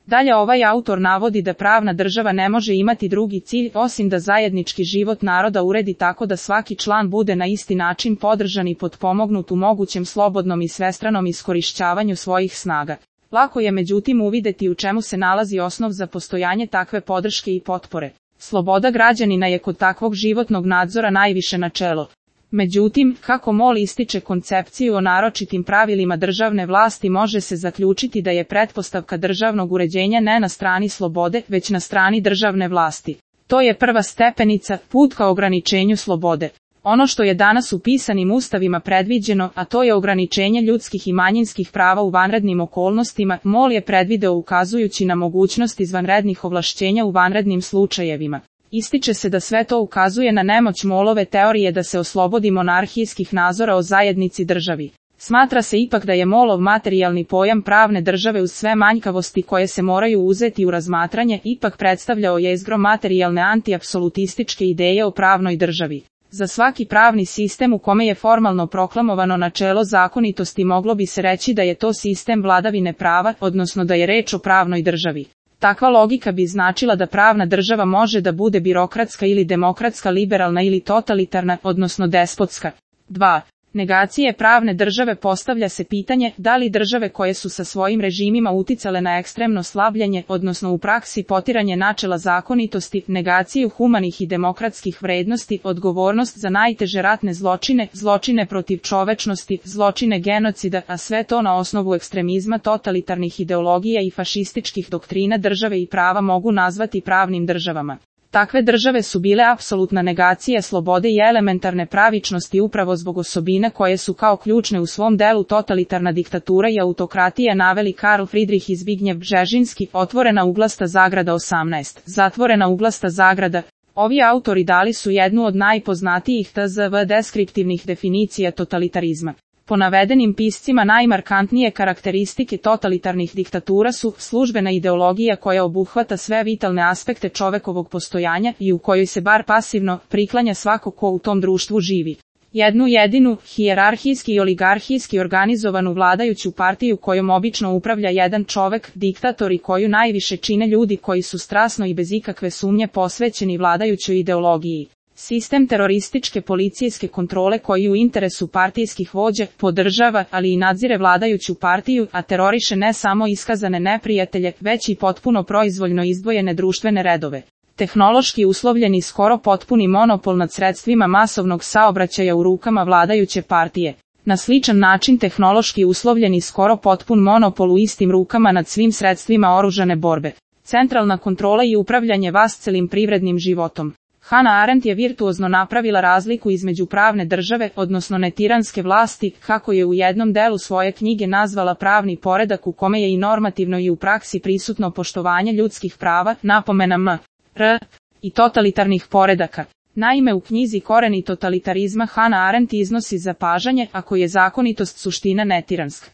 Dalje ovaj autor navodi da pravna država ne može imati drugi cilj osim da zajednički život naroda uredi tako da svaki član bude na isti način podržan i potpomognut u mogućem slobodnom i svestranom iskorišćavanju svojih snaga. Lako je međutim uvideti u čemu se nalazi osnov za postojanje takve podrške i potpore. Sloboda građanina je kod takvog životnog nadzora najviše načelo. Međutim, kako MOL ističe koncepciju o naročitim pravilima državne vlasti, može se zaključiti da je pretpostavka državnog uređenja ne na strani slobode, već na strani državne vlasti. To je prva stepenica, put ka ograničenju slobode. Ono što je danas u pisanim ustavima predviđeno, a to je ograničenje ljudskih i manjinskih prava u vanrednim okolnostima, MOL je predvideo ukazujući na mogućnost izvanrednih ovlašćenja u vanrednim slučajevima. Ističe se da sve to ukazuje na nemoć MOL-ove teorije da se oslobodi monarhijskih nadzora o zajednici državi. Smatra se ipak da je MOL-ov materijalni pojam pravne države uz sve manjkavosti koje se moraju uzeti u razmatranje ipak predstavljao jezgro materijalne antiapsolutističke ideje o pravnoj državi. Za svaki pravni sistem u kome je formalno proklamovano načelo zakonitosti moglo bi se reći da je to sistem vladavine prava, odnosno da je reč o pravnoj državi. Takva logika bi značila da pravna država može da bude birokratska ili demokratska, liberalna ili totalitarna, odnosno despotska. 2. Negacije pravne države. Postavlja se pitanje da li države koje su sa svojim režimima uticale na ekstremno slabljenje, odnosno u praksi potiranje načela zakonitosti, negaciju humanih i demokratskih vrednosti, odgovornost za najteže ratne zločine, zločine protiv čovečnosti, zločine genocida, a sve to na osnovu ekstremizma totalitarnih ideologija i fašističkih doktrina države i prava mogu nazvati pravnim državama. Takve države su bile apsolutna negacija slobode i elementarne pravičnosti upravo zbog osobina koje su kao ključne u svom delu totalitarna diktatura i autokratija naveli Karl Friedrich i Zbigniew Bžežinski, otvorena uglasta zagrada 18, zatvorena uglasta zagrada. Ovi autori dali su jednu od najpoznatijih tzv. Deskriptivnih definicija totalitarizma. Po navedenim piscima najmarkantnije karakteristike totalitarnih diktatura su službena ideologija koja obuhvata sve vitalne aspekte čovekovog postojanja i u kojoj se bar pasivno priklanja svako ko u tom društvu živi. Jednu jedinu, hijerarhijski i oligarhijski organizovanu vladajuću partiju kojom obično upravlja jedan čovek, diktator i koju najviše čine ljudi koji su strasno i bez ikakve sumnje posvećeni vladajućoj ideologiji. Sistem terorističke policijske kontrole koji u interesu partijskih vođa podržava, ali i nadzire vladajuću partiju, a teroriše ne samo iskazane neprijatelje, već i potpuno proizvoljno izdvojene društvene redove. Tehnološki uslovljeni skoro potpuni monopol nad sredstvima masovnog saobraćaja u rukama vladajuće partije. Na sličan način tehnološki uslovljeni skoro potpun monopol u istim rukama nad svim sredstvima oružane borbe. Centralna kontrola i upravljanje vascelim privrednim životom. Hannah Arendt je virtuozno napravila razliku između pravne države, odnosno netiranske vlasti, kako je u jednom delu svoje knjige nazvala pravni poredak u kome je i normativno i u praksi prisutno poštovanje ljudskih prava, napomena m.r. i totalitarnih poredaka. Naime, u knjizi Koreni totalitarizma Hannah Arendt iznosi zapažanje, ako je zakonitost suština netiranska